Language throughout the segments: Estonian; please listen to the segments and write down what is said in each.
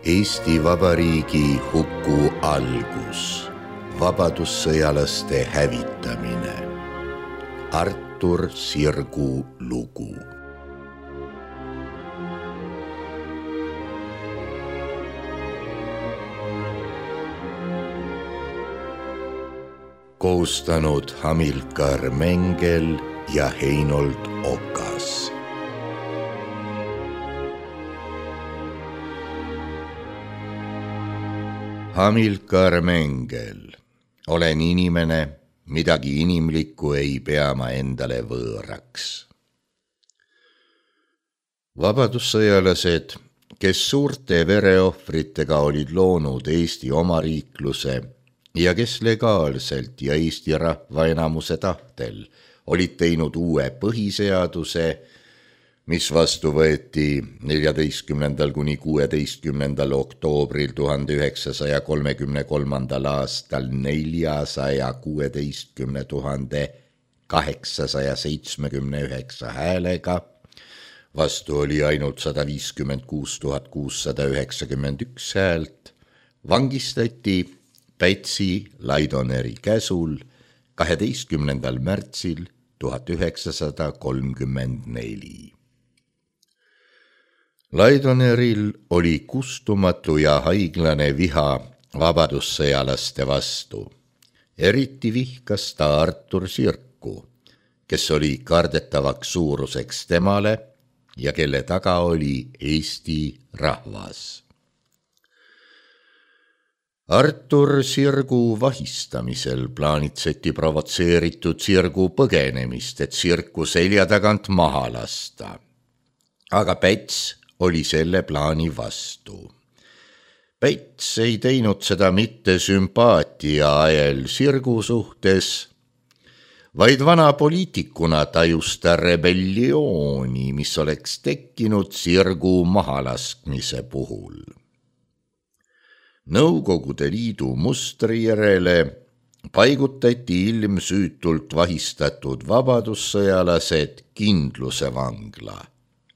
Eesti Vabariigi huku algus, vabadussõjalaste hävitamine. Artur Sirgu lugu. Koostanud Hamilkar Mengel ja Heinold Okas. Hamilkar Mengel. Olen inimene, midagi inimlikku ei pea ma endale võõraks. Vabadussõjalased, kes suurte vereohvritega olid loonud Eesti omariikluse ja kes legaalselt ja Eesti rahva enamuse tahtel olid teinud uue põhiseaduse, mis vastu võeti 14. kuni 16. oktoobril 1933. aastal 416 879 häälega, vastu oli ainult 156 691 häält, vangistati Pätsi Laidoneri käsul 12. märtsil 1934. Laidoneril oli kustumatu ja haiglane viha vabadussõjalaste vastu. Eriti vihkas ta Artur Sirku, kes oli kardetavaks suuruseks temale ja kelle taga oli Eesti rahvas. Artur Sirgu vahistamisel plaanitseti provotseeritud Sirgu põgenemist, et Sirku selja tagant maha lasta. Aga Päts oli selle plaani vastu. Päts ei teinud seda mitte sümpaatia ajel Sirgu suhtes, vaid vana poliitikuna tajus ta rebelliooni, mis oleks tekkinud Sirgu mahalaskmise puhul. Nõukogude Liidu mustri järele paigutati ilmsüütult vahistatud vabadussõjalased Kindluse vangla.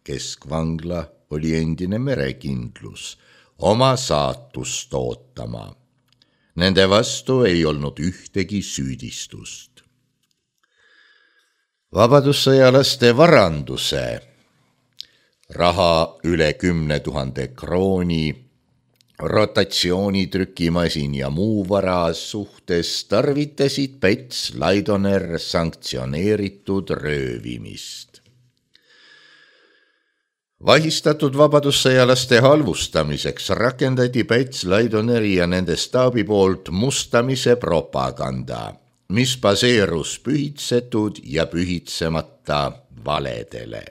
Keskvangla oli endine merekindlus, oma saatust ootama. Nende vastu ei olnud ühtegi süüdistust. Vabadussõjalaste varanduse, raha üle 10 000 krooni, rotatsioonitrükimasin ja muu vara suhtes tarvitasid Päts Laidoner sanktsioneeritud röövimist. Vahistatud vabadussõjalaste halvustamiseks rakendati Päts Laidoneri ja nende staabi poolt mustamise propaganda, mis baseerus pühitsetud ja pühitsemata valedele.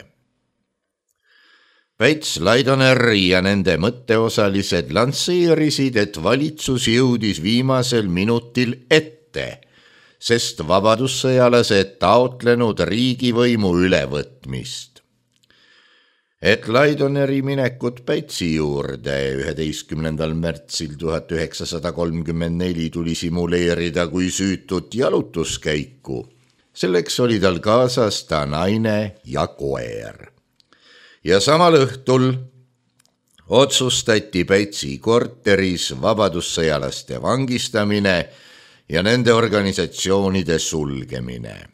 Päts Laidoner ja nende mõtteosalised lansseerisid, et valitsus jõudis viimasel minutil ette, sest vabadussõjalased taotlenud riigivõimu ülevõtmist. Et Laidoneri minekut Pätsi juurde 11. märtsil 1934 tuli simuleerida kui süütut jalutuskäiku. Selleks oli tal kaasas ta naine ja koer. Ja samal õhtul otsustati Pätsi korteris vabadussõjalaste vangistamine ja nende organisatsioonide sulgemine.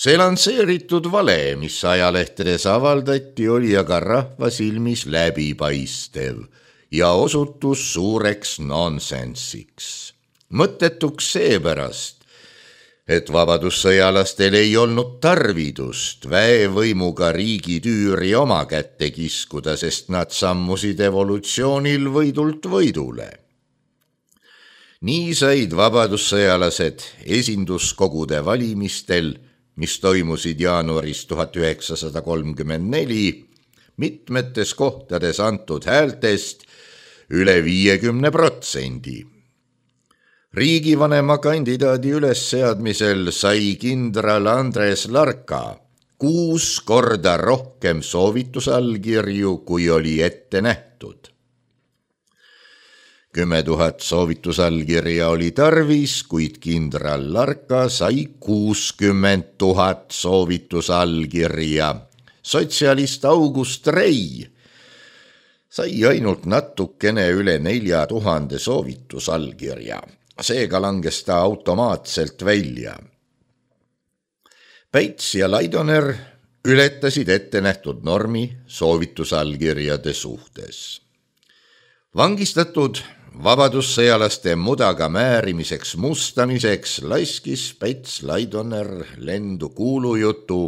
See lansseeritud vale, mis ajalehtedes avaldati, oli aga rahva silmis läbipaistev ja osutus suureks nonsensiks. Mõttetuks seepärast, et vabadussõjalastel ei olnud tarvidust väevõimuga riigi tüüri oma kätte kiskuda, sest nad sammusid evolutsioonil võidult võidule. Nii said vabadussõjalased esinduskogude valimistel, mis toimusid jaanuaris 1934, mitmetes kohtades antud häältest üle 50%. Riigivanema kandidaadi ülesseadmisel sai kindral Andres Larka 6 korda rohkem soovitusallkirju, kui oli ette nähtud. 10 000 soovitusallkirja oli tarvis, kuid kindral Larka sai 60 000 soovitusallkirja. Sotsialist August Rei sai ainult natukene üle 4000 soovitusallkirja, seega langes ta automaatselt välja. Päits ja Laidoner ületasid ettenähtud normi soovitusallkirjade suhtes. Vangistatud vabadussõjalaste mudaga määrimiseks mustamiseks laskis Päits Laidoner lendu kuulujutu,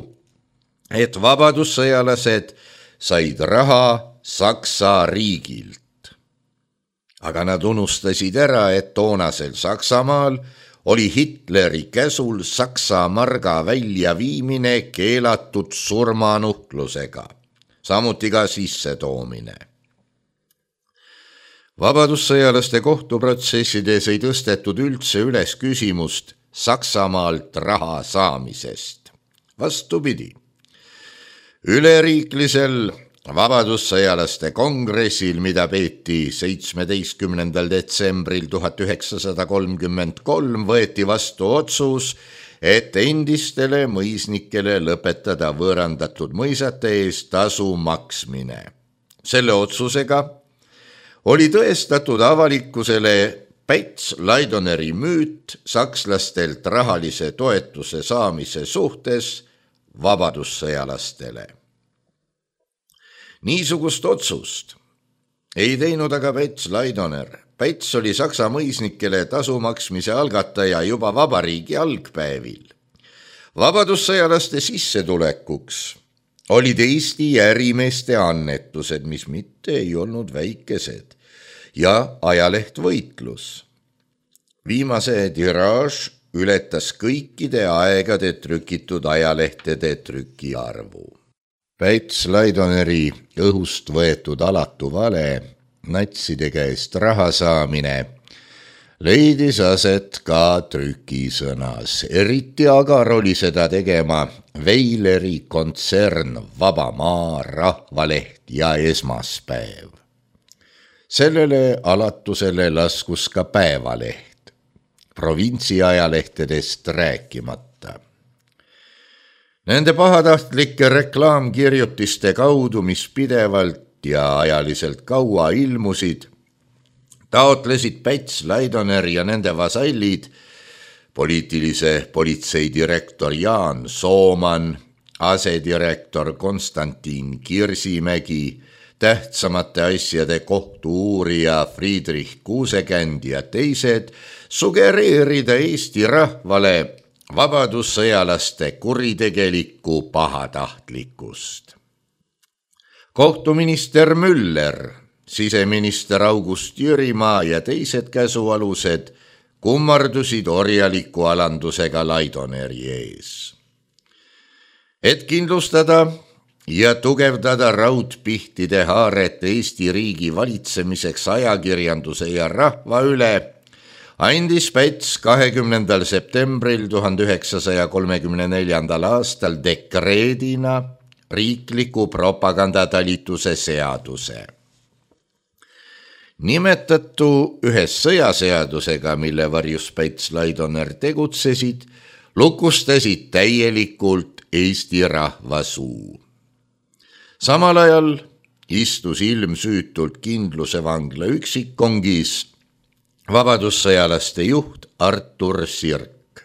et vabadussõjalased said raha Saksa riigilt. Aga nad unustasid ära, et toonasel Saksamaal oli Hitleri käsul Saksa marga väljaviimine keelatud surmanuhtlusega, samuti ka sissetoomine. Vabadussõjalaste kohtuprotsessides ei tõstetud üldse üles küsimust Saksamaalt raha saamisest. Vastupidi, üleriiklisel vabadussõjalaste kongressil, mida peeti 17. detsembril 1933, võeti vastu otsus, et endistele mõisnikele lõpetada võõrandatud mõisate eest tasu maksmine. Selle otsusega oli tõestatud avalikkusele Päits Laidoneri müüt sakslastelt rahalise toetuse saamise suhtes vabadussõjalastele. Niisugust otsust ei teinud aga Päits Laidoner. Päits oli Saksa mõisnikele tasu maksmise algataja juba vabariigi algpäevil. Vabadussõjalaste sissetulekuks olid Eesti ärimeeste annetused, mis mitte ei olnud väikesed, ja ajaleht Võitlus. Viimase tiraaž ületas kõikide aegade trükitud ajalehtede trükiarvu. Päits Laidoneri õhust võetud alatu vale, natside käest raha saamine, leidis aset ka trükisõnas. Eriti agar oli seda tegema Veileri kontsern Vaba Maa, Rahvaleht ja Esmaspäev. Sellele alatusele laskus ka Päevaleht, provintsiajalehtedest rääkimata. Nende pahatahtlike reklaamkirjutiste kaudu, mis pidevalt ja ajaliselt kaua ilmusid, taotlesid Päits Laidoner ja nende vasallid, poliitilise politseidirektor Jaan Sooman, asedirektor Konstantin Kirsimägi, tähtsamate asjade kohtu-uurija Friedrich Kuusekänd ja teised sugereerida Eesti rahvale vabadussõjalaste kuritegelikku pahatahtlikkust. Kohtuminister Müller, siseminister August Jürimaa ja teised käsualused kummardusid orjaliku alandusega Laidoneri ees. Et kindlustada ja tugevdada raudpihtide haaret Eesti riigi valitsemiseks ajakirjanduse ja rahva üle, andis Päits 20. septembril 1934. aastal dekreedina riikliku propagandatalituse seaduse. Nimetatu ühes sõjaseadusega, mille varjus Päits Laidoner tegutsesid, lukustasid täielikult Eesti rahva suu. Samal ajal istus ilmsüütult kindlusevangla üksikkongis vabadussõjalaste juht Artur Sirk.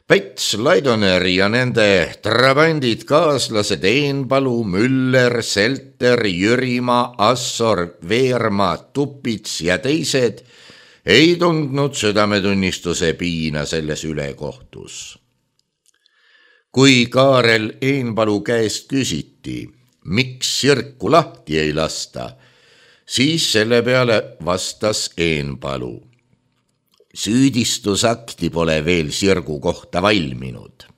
Päits Laidoner ja nende trabandid kaaslased Eenpalu, Müller, Selter, Jürimaa, Assor, Veermaa, Tupits ja teised ei tundnud südametunnistuse piina selles ülekohtus. Kui Kaarel Eenpalu käest küsiti, miks Sirku lahti ei lasta, siis selle peale vastas Eenpalu: süüdistusakti pole veel Sirgu kohta valminud.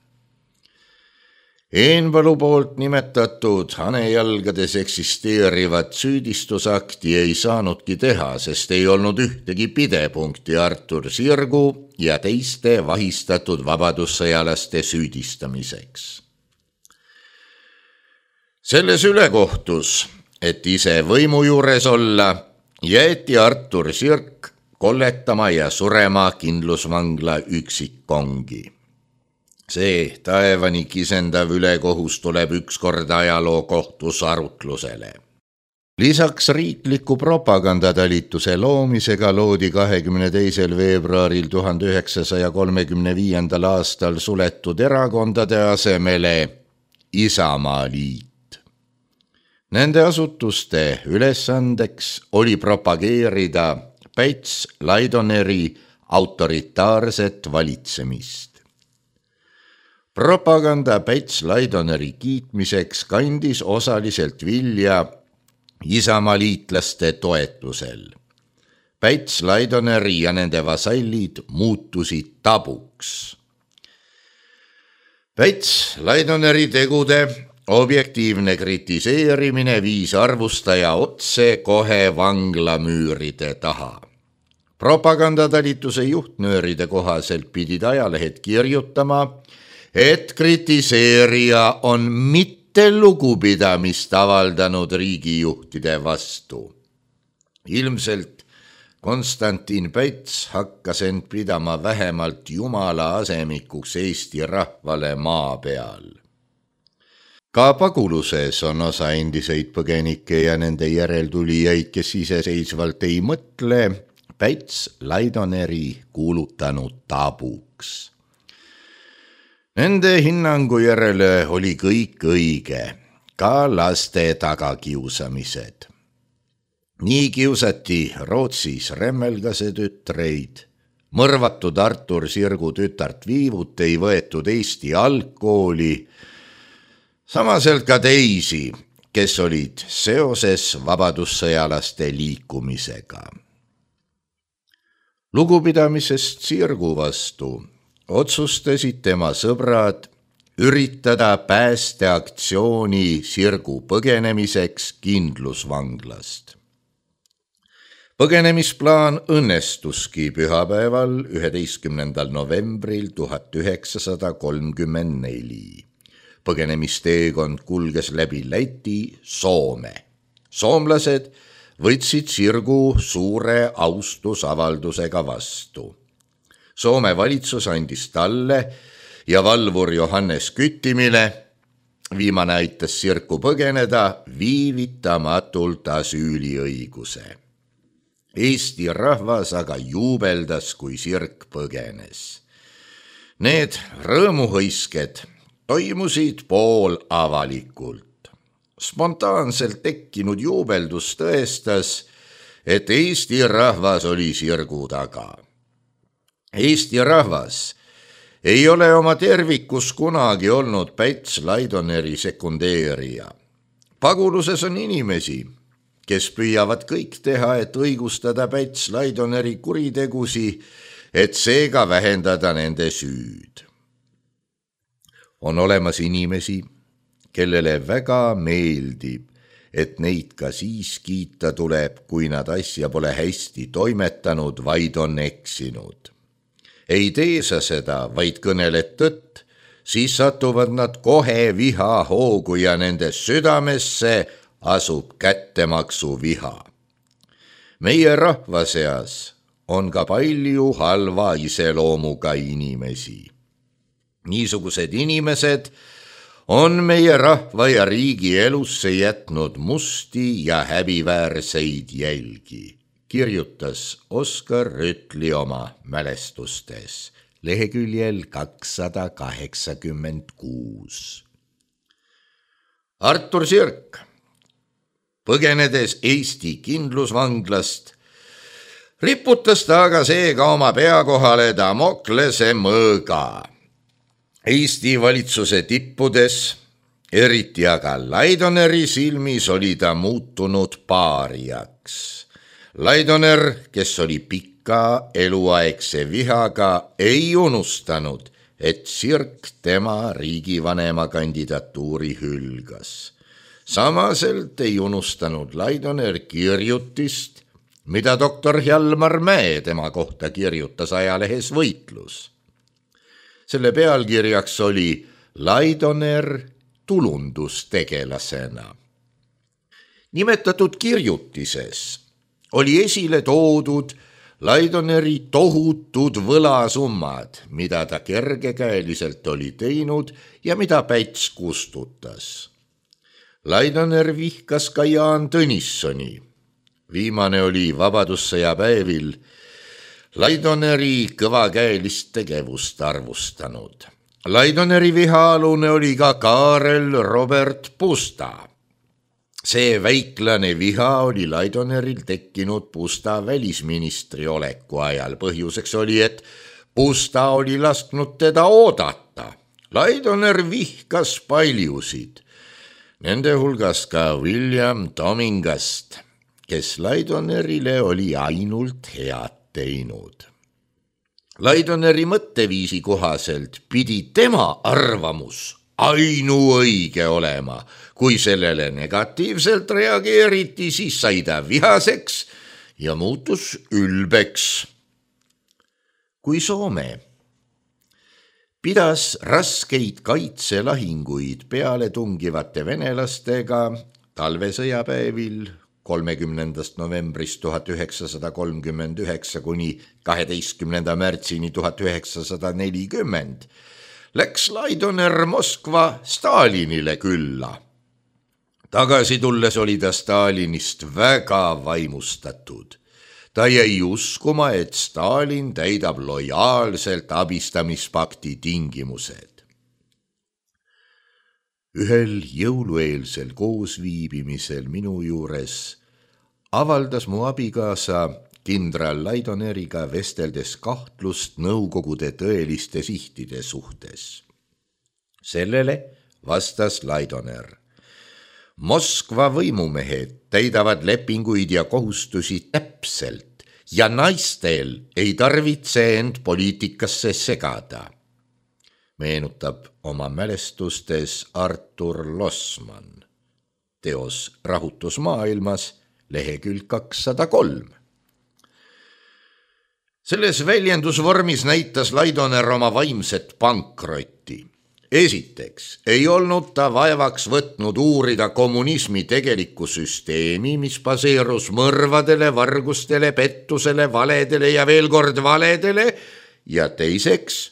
Eenpalu poolt nimetatud hanejalgades eksisteerivat süüdistusakti ei saanudki teha, sest ei olnud ühtegi pidepunkti Artur Sirgu ja teiste vahistatud vabadussõjalaste süüdistamiseks. Selles ülekohtus, et ise võimu juures olla, jäeti Artur Sirk kolletama ja surema kindlusvangla üksikkongi. See taevani kisendav ülekohus tuleb ükskord ajalookohtus arutlusele. Lisaks riikliku propagandatalituse loomisega loodi 22. veebruaril 1935. aastal suletud erakondade asemele Isamaaliit. Nende asutuste ülesandeks oli propageerida Päts-Laidoneri autoritaarset valitsemist. Propaganda Päts-Laidoneri kiitmiseks kandis osaliselt vilja Isamaaliitlaste toetusel. Päts-Laidoneri ja nende vasallid muutusid tabuks. Päts-Laidoneri tegude objektiivne kritiseerimine viis arvustaja otse kohe vanglamüüride taha. Propagandatalituse juhtnööride kohaselt pidid ajalehed kirjutama, et kritiseerija on mitte lugupidamist avaldanud riigijuhtide vastu. Ilmselt Konstantin Päts hakkas end pidama vähemalt Jumala asemikuks Eesti rahvale maa peal. Ka paguluses on osa endiseid põgenikke ja nende järeltulijaid, kes iseseisvalt ei mõtle, Päts-Laidoneri kuulutanud tabuks. Nende hinnangu järele oli kõik õige, ka laste tagakiusamised. Nii kiusati Rootsis Remmelgase tütreid, mõrvatud Artur Sirgu tütart Viivut ei võetud Eesti algkooli, samaselt ka teisi, kes olid seoses vabadussõjalaste liikumisega. Lugupidamisest Sirgu vastu otsustasid tema sõbrad üritada päästeaktsiooni Sirgu põgenemiseks kindlusvanglast. Põgenemisplaan õnnestuski pühapäeval 11. novembril 1934. Põgenemisteekond kulges läbi Läti, Soome. Soomlased võtsid Sirgu suure austusavaldusega vastu. Soome valitsus andis talle ja valvur Johannes Küttimile, viimane aitas Sirku põgeneda, viivitamatult asüüliõiguse. Eesti rahvas aga juubeldas, kui Sirk põgenes. Need rõõmuhõisked toimusid poolavalikult. Spontaanselt tekkinud juubeldus tõestas, et Eesti rahvas oli Sirgu taga. Eesti rahvas ei ole oma tervikus kunagi olnud Päts-Laidoneri sekundeerija. Paguluses on inimesi, kes püüavad kõik teha, et õigustada Päts-Laidoneri kuritegusi, et seega vähendada nende süüd. On olemas inimesi, kellele väga meeldib, et neid ka siis kiita tuleb, kui nad asja pole hästi toimetanud, vaid on eksinud. Ei tee sa seda, vaid kõneled tõtt, siis satuvad nad kohe viha hoogu ja nende südamesse asub kättemaksu viha. Meie rahva seas on ka palju halva iseloomuga inimesi. Niisugused inimesed on meie rahva ja riigi elusse jätnud musti ja häbiväärseid jälgi, kirjutas Oskar Rütli oma mälestustes leheküljel 286. Artur Sirk, põgenedes Eesti kindlusvanglast, riputas ta aga seega oma pea kohale Damoklese mõõga. Eesti valitsuse tippudes, eriti aga Laidoneri silmis, oli ta muutunud paariaks. Laidoner, kes oli pika eluaegse vihaga, ei unustanud, et Sirk tema riigivanema kandidatuuri hülgas. Samaselt ei unustanud Laidoner kirjutist, mida doktor Hjalmar Mäe tema kohta kirjutas ajalehes Võitlus. Selle pealkirjaks oli Laidoner tulundustegelasena. Nimetatud kirjutises oli esile toodud Laidoneri tohutud võlasummad, mida ta kergekäeliselt oli teinud ja mida Päts kustutas. Laidoner vihkas ka Jaan Tõnissoni. Viimane oli vabadussõja päevil Laidoneri kõvakäelist tegevust arvustanud. Laidoneri vihaalune oli ka Kaarel Robert Pusta. See väiklane viha oli Laidoneril tekkinud Pusta välisministri oleku ajal. Põhjuseks oli, et Pusta oli lasknud teda oodata. Laidoner vihkas paljusid, nende hulgas ka William Domingast, kes Laidonerile oli ainult head teinud. Laidoneri mõtteviisi kohaselt pidi tema arvamus ainuõige olema. Kui sellele negatiivselt reageeriti, siis sai ta vihaseks ja muutus ülbeks. Kui Soome pidas raskeid kaitselahinguid peale tungivate venelastega talvesõjapäevil 30. novembrist 1939 kuni 12. märtsini 1940, läks Laidoner Moskva Stalinile külla. Tagasi tulles oli ta Stalinist väga vaimustatud. Ta jäi uskuma, et Stalin täidab lojaalselt abistamispakti tingimused. Ühel jõulueelsel koosviibimisel minu juures avaldas mu abikaasa kindral Laidoneriga vesteldes kahtlust Nõukogude tõeliste sihtide suhtes. Sellele vastas Laidoner: Moskva võimumehed täidavad lepinguid ja kohustusi täpselt ja naistel ei tarvitse end poliitikasse segada. Meenutab oma mälestustes Artur Losman. Teos Rahutus maailmas, lehekülg 203. Selles väljendusvormis näitas Laidoner oma vaimset pankrotti. Esiteks ei olnud ta vaevaks võtnud uurida kommunismi tegelikku süsteemi, mis baseerus mõrvadele, vargustele, pettusele, valedele ja veel kord valedele, ja teiseks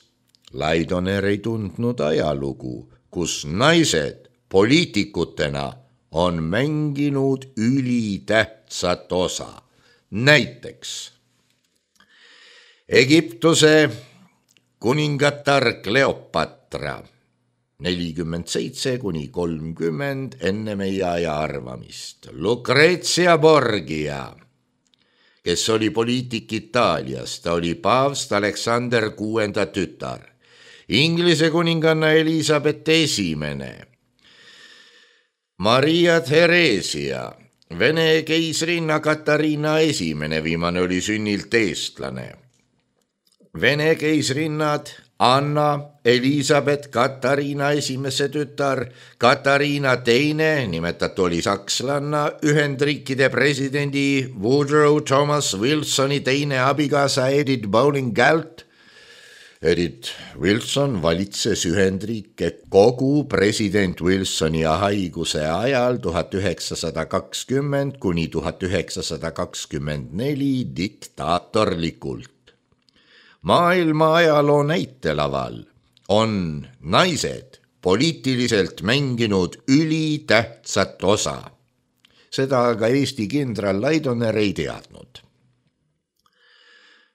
Laidoner ei tundnud ajalugu, kus naised poliitikutena on mänginud ülitähtsat osa. Näiteks Egiptuse kuningatar Kleopatra 47 kuni 30 enne meie aja arvamist. Lucrezia Borgia, kes oli poliitik Itaalias, ta oli paavst Aleksander VI tütar. Inglise kuninganna Elisabeth I, Maria Theresia, Vene keisrinna Katariina I, viimane oli sünnilt eestlane. Vene keisrinnad Anna, Elisabeth, Katariina I tütar, Katariina II, nimetatu oli sakslanna, Ühendriikide presidendi Woodrow Thomas Wilsoni teine abikaasa Edith Bowling Galt. Edith Wilson valitses Ühendriike kogu president Wilsoni haiguse ajal 1920 kuni 1924 diktaatorlikult. Maailma ajaloo näitelaval on naised poliitiliselt mänginud ülitähtsat osa. Seda aga Eesti kindral Laidoner ei teadnud.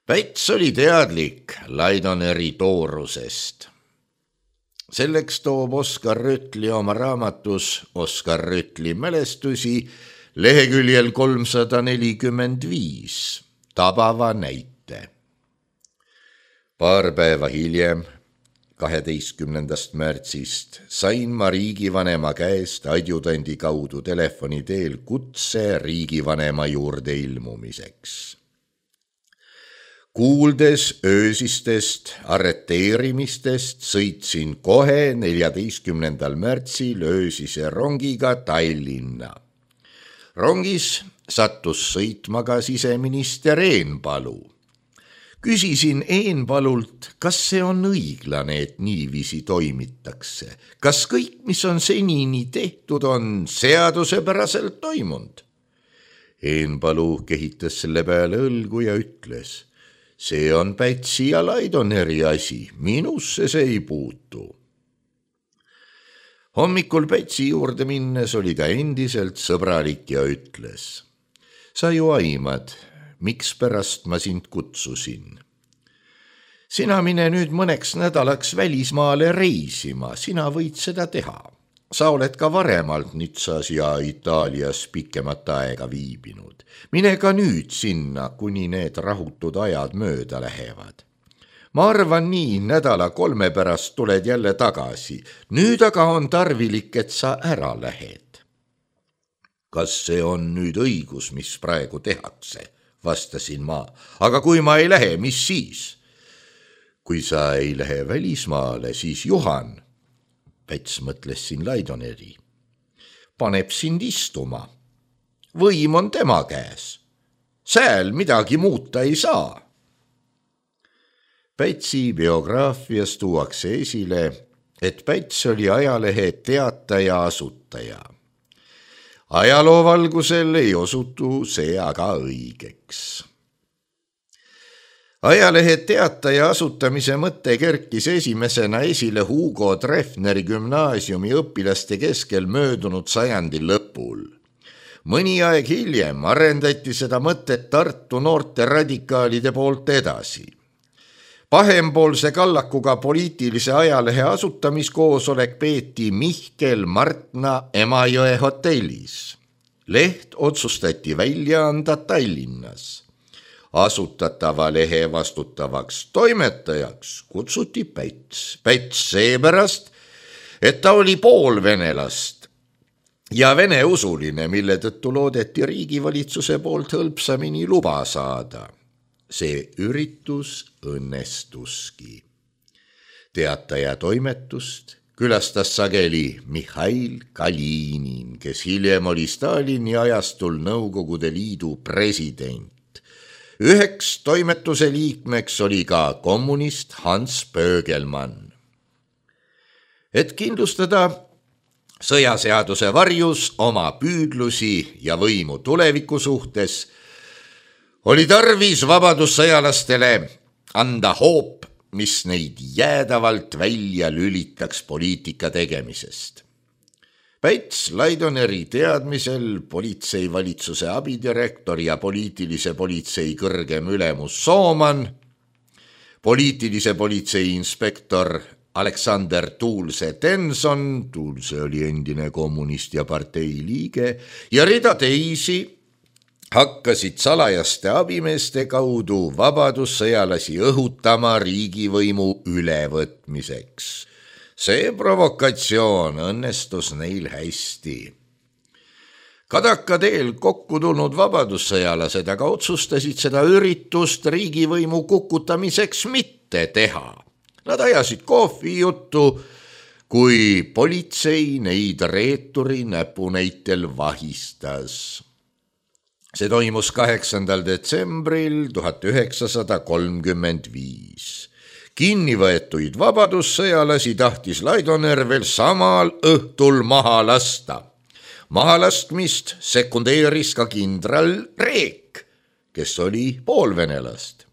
Päts oli teadlik Laidoneri toorusest. Selleks toob Oskar Rütli oma raamatus Oskar Rütli mälestusi leheküljel 345 tabava näite. Paar päeva hiljem, 12. märtsist, sain ma riigivanema käest adjutandi kaudu telefoni teel kutse riigivanema juurde ilmumiseks. Kuuldes öösistest arreteerimistest, sõitsin kohe 14. märtsil öösise rongiga Tallinna. Rongis sattus sõitma ka siseminister Eenpalu. Küsisin Eenpalult, kas see on õiglane, et niiviisi toimitakse. Kas kõik, mis on senini tehtud, on seadusepäraselt toimunud? Eenpalu kehitas selle peale õlgu ja ütles: see on Pätsi ja Laidoneri asi, minusse see ei puutu. Hommikul Pätsi juurde minnes oli ta endiselt sõbralik ja ütles: sa ju aimad, mikspärast ma sind kutsusin. Sina mine nüüd mõneks nädalaks välismaale reisima, sina võid seda teha. Sa oled ka varemalt Nitsas ja Itaalias pikemat aega viibinud. Mine ka nüüd sinna, kuni need rahutud ajad mööda lähevad. Ma arvan nii, 2-3 pärast tuled jälle tagasi. Nüüd aga on tarvilik, et sa ära lähed. Kas see on nüüd õigus, mis praegu tehakse? Vastasin ma. Aga kui ma ei lähe, mis siis? Kui sa ei lähe välismaale, siis Juhan, Päts mõtles siin Laidoneri, paneb sind istuma. Võim on tema käes. Sääl midagi muuta ei saa. Pätsi biograafias tuuakse esile, et Päts oli ajalehe Teataja asutaja. Ajaloovalgusel ei osutu see aga õigeks. Ajalehe Teataja asutamise mõte kerkis esimesena esile Hugo Treffneri gümnaasiumi õpilaste keskel möödunud sajandi lõpul. Mõni aeg hiljem arendati seda mõtet Tartu noorte radikaalide poolt edasi. Pahempoolse kallakuga poliitilise ajalehe asutamiskoosolek peeti Mihkel Martna Emajõe hotellis. Leht otsustati välja anda Tallinnas. Asutatava lehe vastutavaks toimetajaks kutsuti Päts. Päts seepärast, et ta oli poolvenelast ja veneusuline, mille tõttu loodeti riigivalitsuse poolt hõlpsamini luba saada. See üritus õnnestuski. Teataja toimetust külastas sageli Mihhail Kalinin, kes hiljem oli Stalini ajastul Nõukogude Liidu president. Üheks toimetuse liikmeks oli ka kommunist Hans Pöögelmann. Et kindlustada sõjaseaduse varjus oma püüdlusi ja võimu tuleviku suhtes, oli tarvis vabadussõjalastele anda hoop, mis neid jäädavalt välja lülitaks poliitika tegemisest. Päts Laidoneri teadmisel politseivalitsuse abidirektor ja poliitilise politsei kõrgem ülemus Sooman, poliitilise politsei inspektor Aleksander Tuulse-Tenson, Tuulse oli endine kommunist ja partei liige, ja rida teisi hakkasid salajaste abimeeste kaudu vabadussõjalasi õhutama riigivõimu ülevõtmiseks. See provokatsioon õnnestus neil hästi. Kadaka teel kokku tulnud vabadussõjalased aga otsustasid seda üritust riigivõimu kukutamiseks mitte teha. Nad ajasid kohvijuttu, kui politsei neid reeturi näpunäitel vahistas. See toimus 8. detsembril 1935. Kinnivõetuid vabadussõjalasi tahtis Laidoner veel samal õhtul maha lasta. Mahalaskmist sekundeeris ka kindral Reek, kes oli poolvenelast.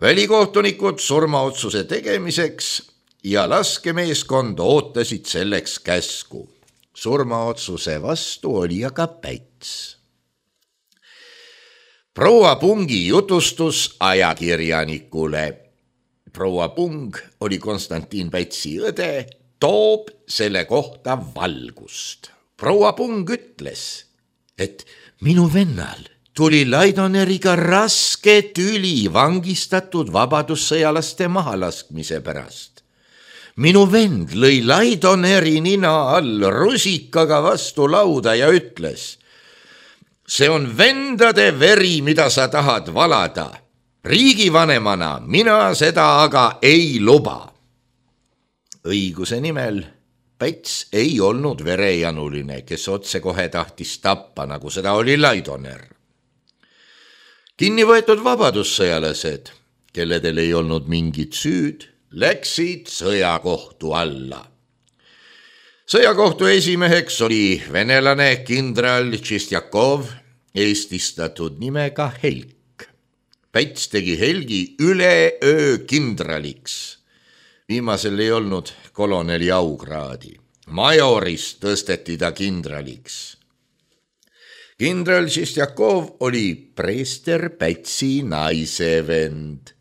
Välikohtunikud surmaotsuse tegemiseks ja laskemeeskond ootasid selleks käsku. Surmaotsuse vastu oli aga Päts. Proua Pungi jutustus ajakirjanikule. Proua Pung oli Konstantin Pätsi õde, toob selle kohta valgust. Proua Pung ütles, et minu vennal tuli Laidoneriga raske tüli vangistatud vabadussõjalaste mahalaskmise pärast. Minu vend lõi Laidoneri nina all rusikaga vastu lauda ja ütles, see on vendade veri, mida sa tahad valada. Riigivanemana mina seda aga ei luba. Õiguse nimel Päts ei olnud verejanuline, kes otsekohe tahtis tappa, nagu seda oli Laidoner. Kinnivõetud vabadussõjalased, kelledel ei olnud mingit süüd, läksid sõjakohtu alla. Sõjakohtu esimeheks oli venelane kindral Tšistjakov, eestistatud nimega Helk. Päts tegi Helgi üleöö kindraliks. Viimasel ei olnud koloneli aukraadi. Majorist tõsteti ta kindraliks. Kindral Šestjakov oli preester Pätsi naisevend.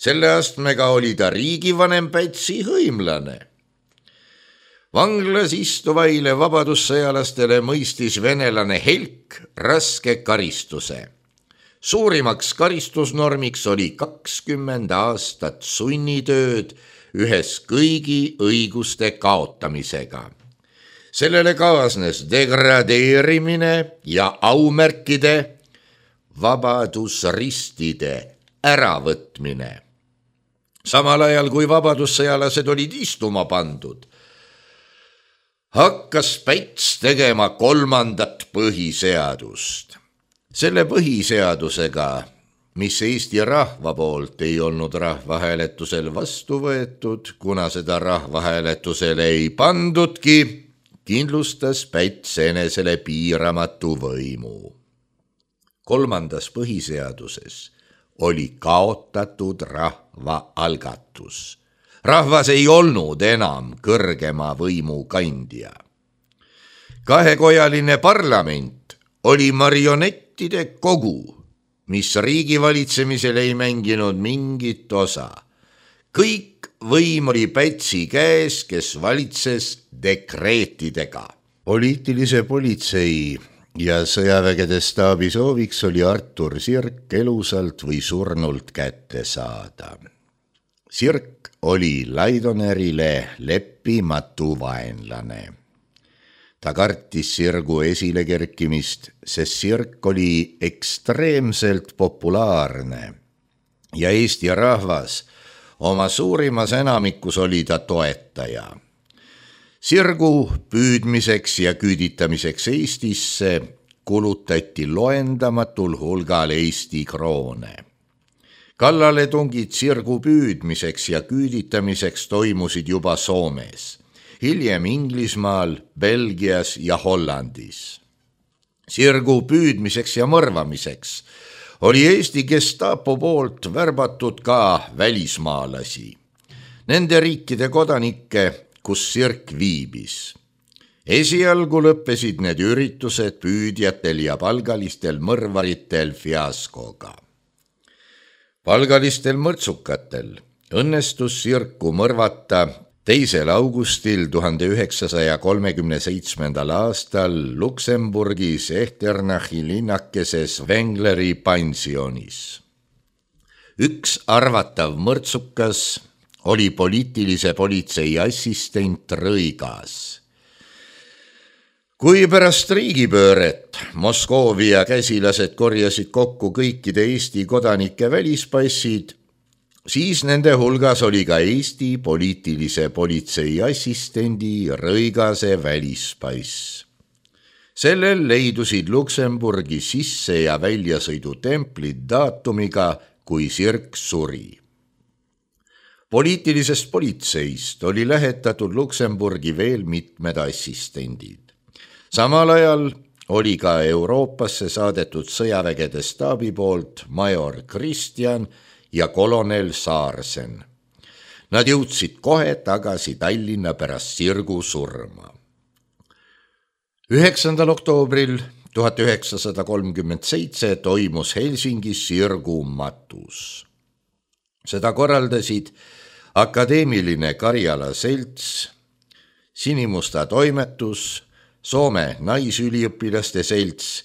Selle astmega oli ta riigivanem Pätsi hõimlane. Vanglas istuvaile vabadussõjalastele mõistis venelane Helk raske karistuse. Suurimaks karistusnormiks oli 20 aastat sunnitööd ühes kõigi õiguste kaotamisega. Sellele kaasnes degradeerimine ja aumärkide, vabadusristide äravõtmine. Samal ajal, kui vabadussõjalased olid istuma pandud, hakkas Päts tegema 3. põhiseadust. Selle põhiseadusega, mis Eesti rahva poolt ei olnud rahvahääletusel vastu võetud, kuna seda rahvahääletusele ei pandudki, kindlustas Päts enesele piiramatu võimu. 3. põhiseaduses oli kaotatud rahvaalgatus. Rahvas ei olnud enam kõrgema võimu kandja. Kahekojaline parlament oli marionettide kogu, mis riigi valitsemisel ei mänginud mingit osa. Kõik võim oli Pätsi käes, kes valitses dekreetidega. Poliitilise politsei ja sõjavägede staabi sooviks oli Artur Sirk elusalt või surnult kätte saada. Sirk oli Laidonerile leppimatu vaenlane. Ta kartis Sirgu esile kerkimist, sest Sirk oli ekstreemselt populaarne ja Eesti rahvas oma suurimas enamikus oli ta toetaja. Sirgu püüdmiseks ja küüditamiseks Eestisse kulutati loendamatul hulgal Eesti kroone. Kallaletungid Sirgu püüdmiseks ja küüditamiseks toimusid juba Soomes, hiljem Inglismaal, Belgias ja Hollandis. Sirgu püüdmiseks ja mõrvamiseks oli Eesti Gestapo poolt värbatud ka välismaalasi, nende riikide kodanikke, kus Sirk viibis. Esialgu lõppesid need üritused püüdjatel ja palgalistel mõrvaritel fiaskoga. Palgalistel mõrtsukatel õnnestus Sirku mõrvata 2. augustil 1937. aastal Luksemburgis Ehternachi linnakeses Wengleri pensionis. Üks arvatav mõrtsukas oli poliitilise politsei assistent Rõigas. Kui pärast riigipööret Moskoovia käsilased korjasid kokku kõikide Eesti kodanike välispassid, siis nende hulgas oli ka Eesti poliitilise politsei assistendi Rõigase välispass. Sellel leidusid Luksemburgi sisse- ja väljasõidutemplid daatumiga, kui Sirk suri. Poliitilisest politseist oli lähetatud Luksemburgi veel mitmed assistendid. Samal ajal oli ka Euroopasse saadetud sõjavägede staabi poolt major Kristjan ja kolonel Saarsen. Nad jõudsid kohe tagasi Tallinna pärast Sirgu surma. 9. oktoobril 1937 toimus Helsingis Sirgu matus. Seda korraldasid Akadeemiline Karjala selts, Sinimusta toimetus, Soome naisüliõpilaste selts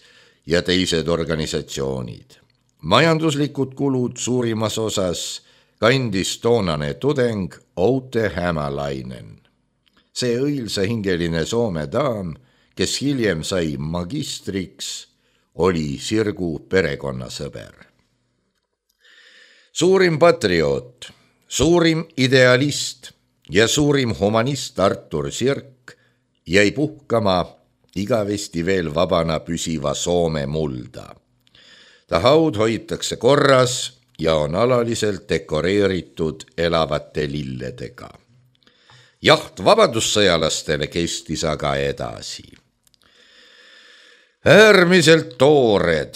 ja teised organisatsioonid. Majanduslikud kulud suurimas osas kandis toonane tudeng Outi Hämäläinen. See õilsahingeline Soome daam, kes hiljem sai magistriks, oli Sirgu perekonnasõber. Suurim patrioot, suurim idealist ja suurim humanist Artur Sirk jäi puhkama igavesti veel vabana püsiva Soome mulda. Ta haud hoitakse korras ja on alaliselt dekoreeritud elavate lilledega. Jaht vabadussõjalastele kestis aga edasi. Äärmiselt toored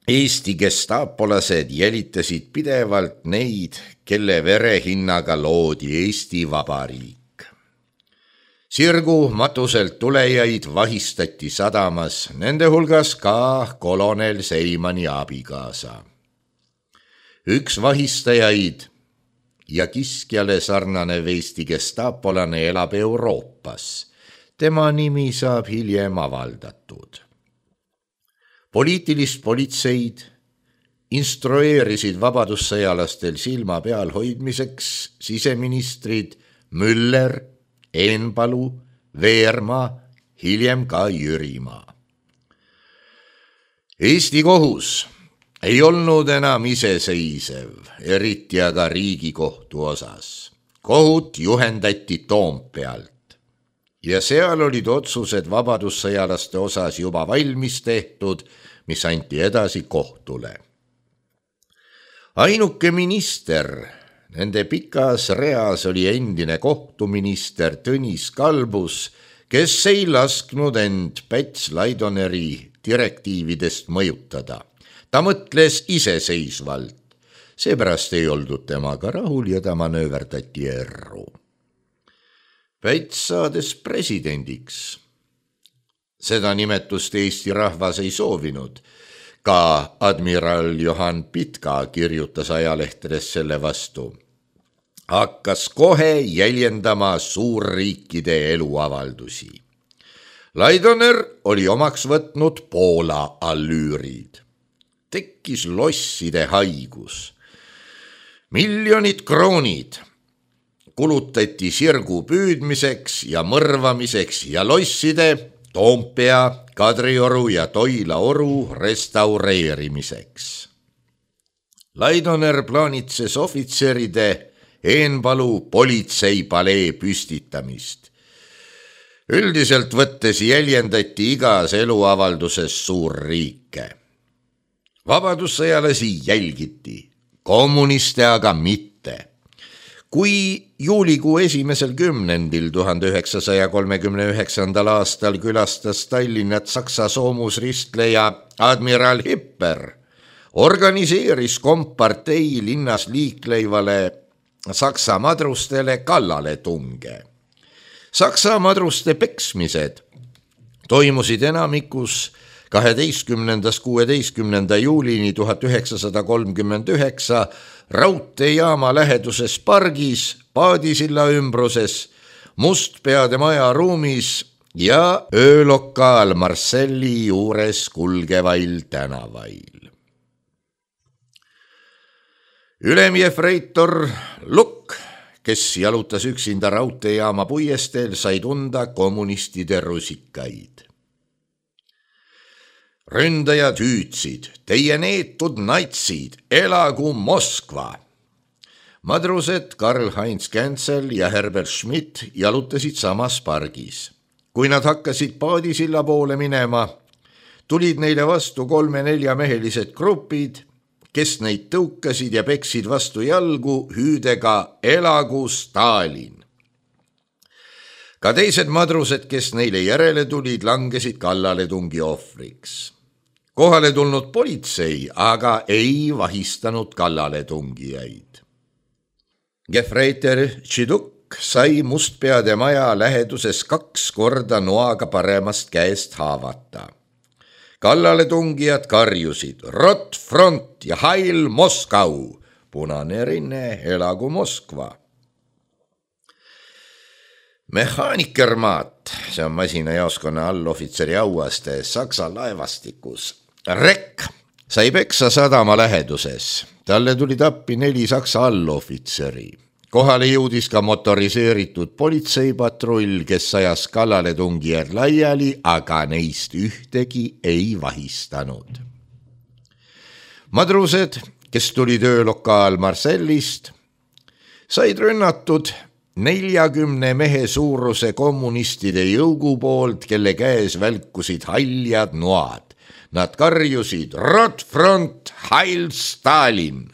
Eesti gestapolased jälitasid pidevalt neid, kelle verehinnaga loodi Eesti Vabariik. Sirgu matuselt tulejaid vahistati sadamas, nende hulgas ka kolonel Seimani abikaasa. Üks vahistajaid ja kiskjale sarnanev Eesti gestapolane elab Euroopas. Tema nimi saab hiljem avaldatud. Poliitilist politseid instrueerisid vabadussõjalastel silma peal hoidmiseks siseministrid Müller, Eenpalu, Veermaa, hiljem ka Jürimaa. Eesti kohus ei olnud enam iseseisev, eriti aga Riigikohtu osas. Kohut juhendati Toompealt ja seal olid otsused vabadussõjalaste osas juba valmis tehtud, mis anti edasi kohtule. Ainuke minister nende pikas reas oli endine kohtuminister Tõnis Kalbus, kes ei lasknud end Päts Laidoneri direktiividest mõjutada. Ta mõtles iseseisvalt, seepärast ei oldud temaga rahul ja ta manööverdati erru. Päts saades presidendiks. Seda nimetust Eesti rahvas ei soovinud. Ka admiral Johan Pitka kirjutas ajalehtedes selle vastu. Hakkas kohe jäljendama suurriikide eluavaldusi. Laidoner oli omaks võtnud Poola allüürid. Tekkis losside haigus. Miljonid kroonid kulutati sirgu püüdmiseks ja mõrvamiseks ja losside Toompea, Kadrioru ja Toila oru restaureerimiseks. Laidoner plaanitses ohvitseride Eenpalu politseipalee püstitamist. Üldiselt võttes jäljendati igas eluavalduses suurriike. Vabadussõjalasi jälgiti, kommuniste aga mitte. Kui juulikuu 1. kümnendil 1939. aastal külastas Tallinnat Saksa soomusristleja admiral Hipper, organiseeris kompartei linnas liikleivale Saksa madrustele kallaletunge. Saksa madruste peksmised toimusid enamikus 12.–16. juulini 1939 raudteejaama läheduses pargis, Paadisilla ümbruses, Mustpeade maja ruumis ja öölokaal Marselli juures kulgevail tänavail. Ülemjefreitor Lukk, kes jalutas üksinda raudteejaama puiesteel, sai tunda kommunistide rusikaid. Ründajad hüüdsid, teie neetud natsid, elagu Moskva! Madrused Karl-Heinz Känsel ja Herbert Schmidt jalutasid samas pargis. Kui nad hakkasid Paadisilla poole minema, tulid neile vastu 3-4 mehelised grupid, kes neid tõukasid ja peksid vastu jalgu hüüdega elagu Stalin. Ka teised madrused, kes neile järele tulid, langesid kallaletungi ohvriks. Kohale tulnud politsei aga ei vahistanud kallaletungijaid. Gefreiter Tšiduk sai Mustpeade maja läheduses 2 korda noaga paremast käest haavata. Kallaletungijad karjusid Rot front ja Heil Moskau, punane rinne, elagu Moskva. Mehaanikermaat, see on masinajaoskonna allohvitseri auaste Saksa laevastikus. Rekk sai peksa sadama läheduses. Talle tulid appi 4 Saksa allohvitseri. Kohale jõudis ka motoriseeritud politseipatrull, kes ajas kallaletungijad laiali, aga neist ühtegi ei vahistanud. Madrused, kes tulid öölokaal Marsellist, said rünnatud 40 mehe suuruse kommunistide jõugu poolt, kelle käes välkusid haljad noad. Nad karjusid Rot front, Heil Stalin!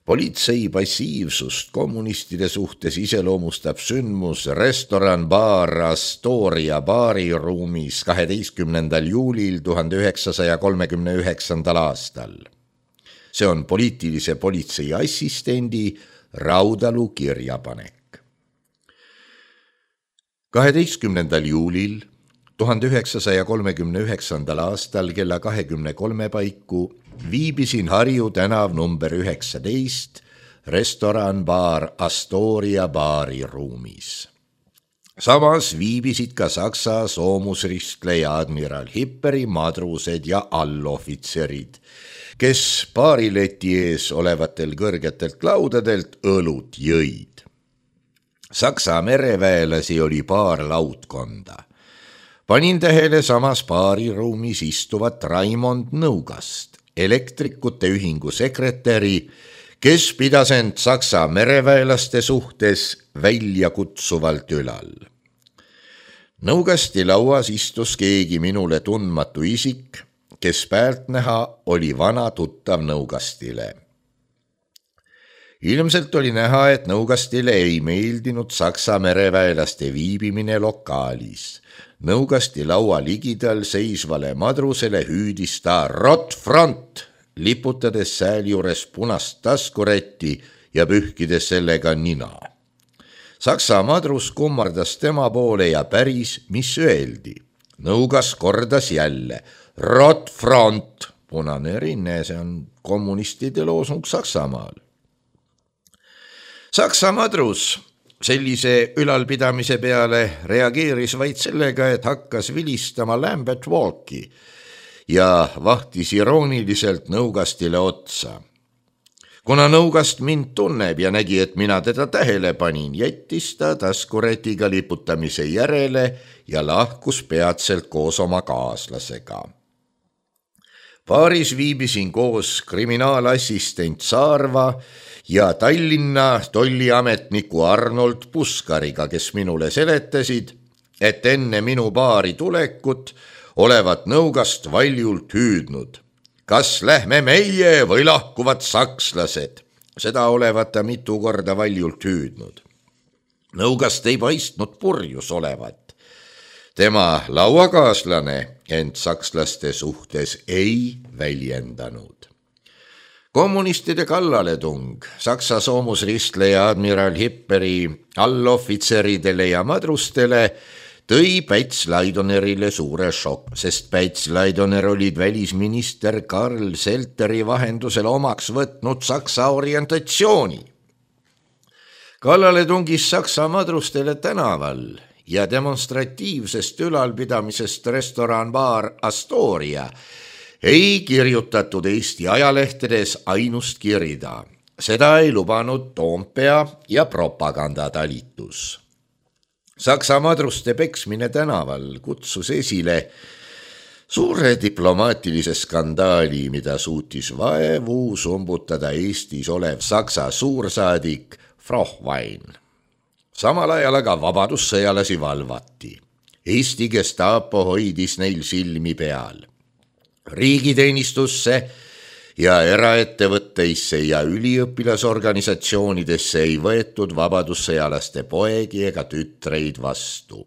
Politsei passiivsust kommunistide suhtes iseloomustab sündmus restoran baar Astoria baariruumis 12. juulil 1939. aastal. See on poliitilise politsei assistendi Raudalu kirjapanek. 12. juulil 1939. aastal kella 23 paiku viibisin Harju tänav number 19 restoran-baar Astoria baariruumis. Samas viibisid ka Saksa soomusristleja admiral Hipperi madrused ja allohvitserid, kes baarileti ees olevatel kõrgetelt laudadelt õlut jõid. Saksa mereväelasi oli paar laudkonda. Panin tähele samas baariruumis istuvat Raimond Nõugast, elektrikute ühingu sekretäri, kes pidas end Saksa mereväelaste suhtes väljakutsuvalt ülal. Nõugasti lauas istus keegi minule tundmatu isik, kes pealtnäha oli vana tuttav Nõugastile. Ilmselt oli näha, et Nõugastile ei meeldinud Saksa mereväelaste viibimine lokaalis. Nõugasti laua ligidal seisvale madrusele hüüdis ta Rot front, liputades sääl juures punast taskurätti ja pühkides sellega nina. Saksa madrus kummardas tema poole ja päris, mis öeldi. Nõugas kordas jälle Rot front, punane rinne, see on kommunistide loosung Saksamaal. Saksa madrus sellise ülalpidamise peale reageeris vaid sellega, et hakkas vilistama Lambert Walki ja vahtis irooniliselt Nõugastile otsa. Kuna Nõugast mind tunneb ja nägi, et mina teda tähele panin, jättis ta taskurätiga liputamise järele ja lahkus peatselt koos oma kaaslasega. Baaris viibisin koos kriminaalassistent Saarva ja Tallinna tolliametniku Arnold Puskariga, kes minule seletasid, et enne minu baari tulekut olevat Nõugast valjult hüüdnud. Kas lähme meie või lahkuvad sakslased? Seda olevat ta mitu korda valjult hüüdnud. Nõugast ei paistnud purjus olevat. Tema lauakaaslane ent sakslaste suhtes ei väljendanud. Kommunistide kallaletung Saksa soomusristleja admiral Hipperi allohvitseridele ja madrustele tõi Päts Laidonerile suure šokk, sest Päts Laidoner olid välisminister Karl Selteri vahendusel omaks võtnud Saksa orientatsiooni. Kallale tungis Saksa madrustele tänaval ja demonstratiivsest ülalpidamisest restoran-baar Astoria ei kirjutatud Eesti ajalehtedes ainust kirida. Seda ei lubanud Toompea ja propagandatalitus. Saksa madruste peksmine tänaval kutsus esile suure diplomaatilise skandaali, mida suutis vaevu sumbutada Eestis olev Saksa suursaadik Frohwein. Samal ajal aga vabadussõjalasi valvati. Eesti Gestapo hoidis neil silmi peal. Riigiteenistusse ja eraettevõtteisse ja üliõpilasorganisatsioonidesse ei võetud vabadussõjalaste poegi ega tütreid vastu.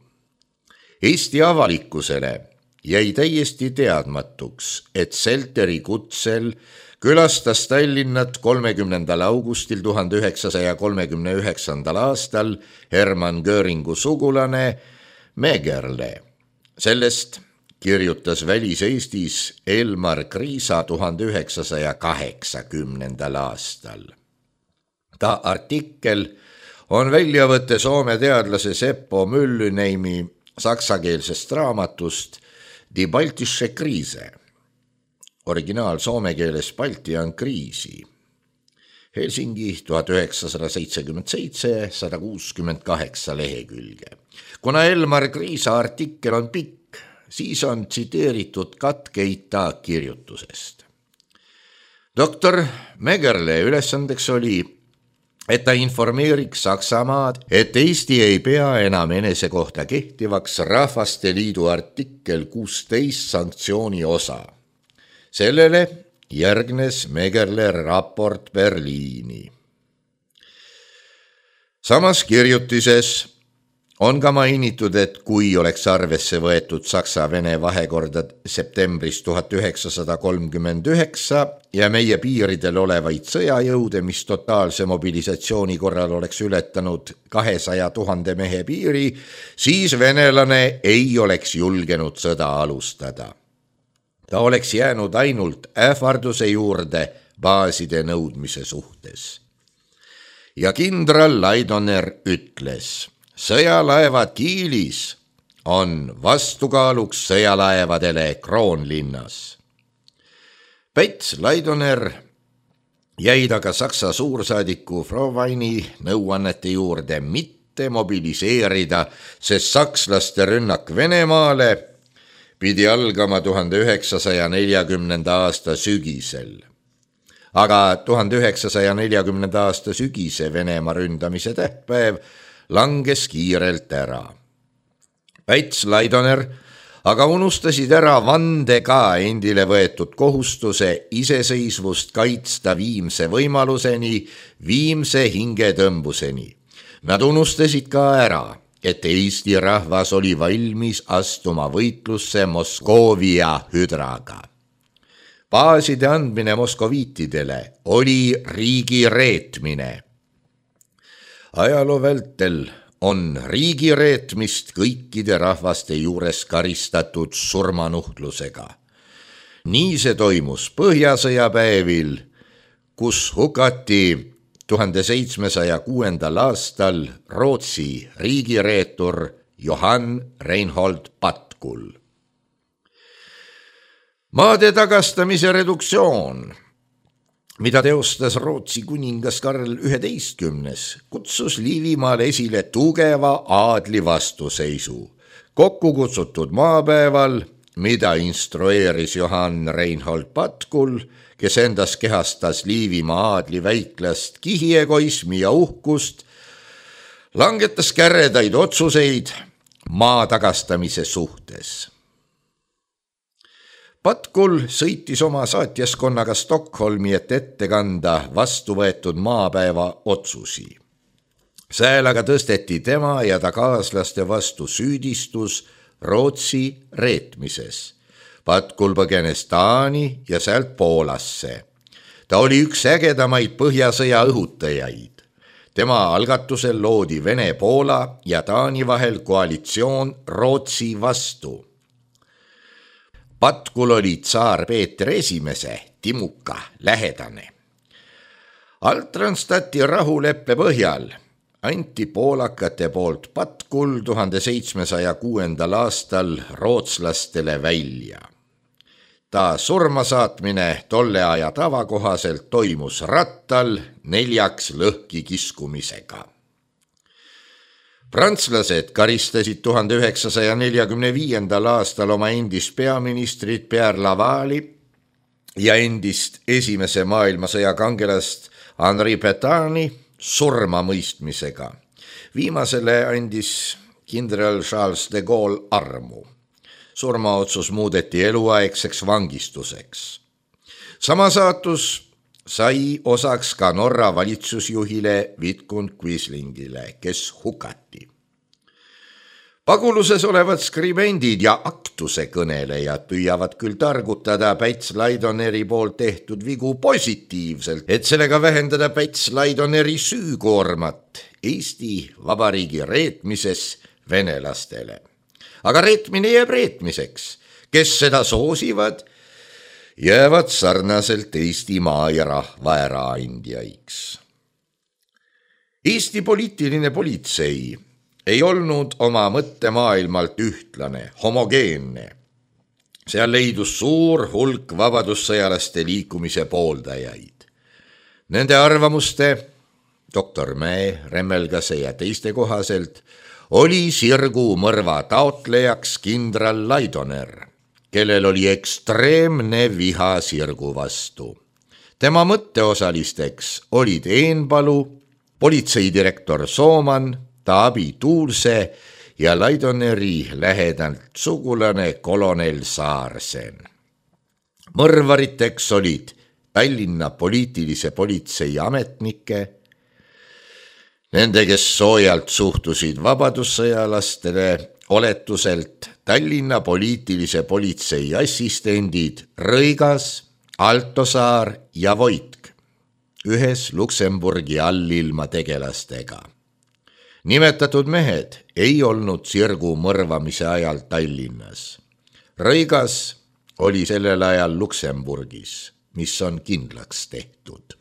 Eesti avalikkusele jäi täiesti teadmatuks, et Selteri kutsel külastas Tallinnat 30. augustil 1939. aastal Hermann Göringu sugulane Megerle. Sellest kirjutas Välis-Eestis Elmar Kriisa 1980. aastal. Ta artikkel on väljavõte Soome teadlase Seppo Myllyneimi saksakeelsest raamatust Die Baltische Krise. Originaal soome keeles Balti on kriisi. Helsingi 1977, 168 lehekülge. Kuna Elmar Kriisa artikkel on pikk, siis on tsiteeritud katkeid ta kirjutusest. Doktor Megerle ülesandeks oli, et ta informeeriks Saksamaad, et Eesti ei pea enam enese kohta kehtivaks Rahvaste Liidu artikkel 16 sanktsiooni osa. Sellele järgnes Megerle raport Berliini. Samas kirjutises On ka mainitud, et kui oleks arvesse võetud Saksa-Vene vahekorda septembris 1939 ja meie piiridel olevaid sõjajõude, mis totaalse mobilisatsiooni korral oleks ületanud 200 000 mehe piiri, siis venelane ei oleks julgenud sõda alustada. Ta oleks jäänud ainult ähvarduse juurde baaside nõudmise suhtes. Ja kindral Laidoner ütles: sõjalaevad Kiilis on vastukaaluks sõjalaevadele Kroonlinnas. Päts Laidoner jäid aga Saksa suursaadiku Froweini nõuannete juurde mitte mobiliseerida, sest sakslaste rünnak Venemaale pidi algama 1940. aasta sügisel. Aga 1940. aasta sügise Venemaa ründamise tähtpäev langes kiirelt ära. Päts Laidoner aga unustasid ära vandega endile võetud kohustuse iseseisvust kaitsta viimse võimaluseni, viimse hingetõmbuseni. Nad unustasid ka ära, et Eesti rahvas oli valmis astuma võitlusse Moskoovia hüdraga. Baaside andmine moskoviitidele oli riigi reetmine. Ajaloo vältel on riigi reetmist kõikide rahvaste juures karistatud surmanuhtlusega. Nii see toimus Põhjasõja päevil, kus hukati 1706. aastal Rootsi riigireetur Johann Reinhold Patkul. Maade tagastamise reduktsioon, mida teostas Rootsi kuningas Karl XI, kutsus Liivimaal esile tugeva aadli vastuseisu. Kokku kutsutud maapäeval, mida instrueeris Johann Reinhold Patkul, kes endas kehastas Liivimaa aadli väiklast kihiegoismi ja uhkust, langetas käredaid otsuseid maa tagastamise suhtes. Patkul sõitis oma saatjaskonnaga Stockholmi, et ette kanda vastu võetud maapäeva otsusi. Sääl aga tõsteti tema ja ta kaaslaste vastu süüdistus Rootsi reetmises. Patkul põgenes Taani ja sealt Poolasse. Ta oli üks ägedamaid Põhjasõja õhutajaid. Tema algatusel loodi Vene-Poola ja Taani vahel koalitsioon Rootsi vastu. Patkul oli tsaar Peeter I Timuka lähedane. Altranstati rahuleppe põhjal anti poolakate poolt Patkul 1706. aastal rootslastele välja. Ta surmasaatmine tolle aja tava kohaselt toimus rattal 4 lõhki kiskumisega. Prantslased karistasid 1945. aastal oma endist peaministrit Pierre Lavalli ja endist esimese maailmasõja kangelast Henri Pétaini surmamõistmisega. Viimasele andis kindral Charles de Gaulle armu. Surmaotsus muudeti eluaegseks vangistuseks. Sama saatus sai osaks ka Norra valitsusjuhile Vidkun Quislingile, kes hukati. Paguluses olevad skribendid ja aktuse kõnelejad püüavad küll targutada Päts Laidoneri poolt tehtud vigu positiivselt, et sellega vähendada Päts Laidoneri süükoormat Eesti Vabariigi reetmises venelastele. Aga reetmine jääb reetmiseks. Kes seda soosivad, jäävad sarnaselt Eestimaa ja rahva äraandjaiks. Eesti poliitiline politsei ei olnud oma mõttemaailmalt ühtlane, homogeenne. Seal leidus suur hulk vabadussõjalaste liikumise pooldajaid. Nende arvamuste, doktor Mäe, Remmelgase ja teiste kohaselt, oli sirgu mõrva taotlejaks kindral Laidoner, kellel oli ekstreemne viha sirgu vastu. Tema mõtteosalisteks olid Eenpalu, politseidirektor Sooman, Taavi Tuulse ja Laidoneri lähedalt sugulane kolonel Saarsen. Mõrvariteks olid Tallinna poliitilise politsei ametnike Nende, kes soojalt suhtusid vabadussõjalastele, oletuselt Tallinna poliitilise politsei assistendid Rõigas, Altosaar ja Voitk, ühes Luksemburgi allilma tegelastega. Nimetatud mehed ei olnud sirgu mõrvamise ajal Tallinnas. Rõigas oli sellel ajal Luksemburgis, mis on kindlaks tehtud.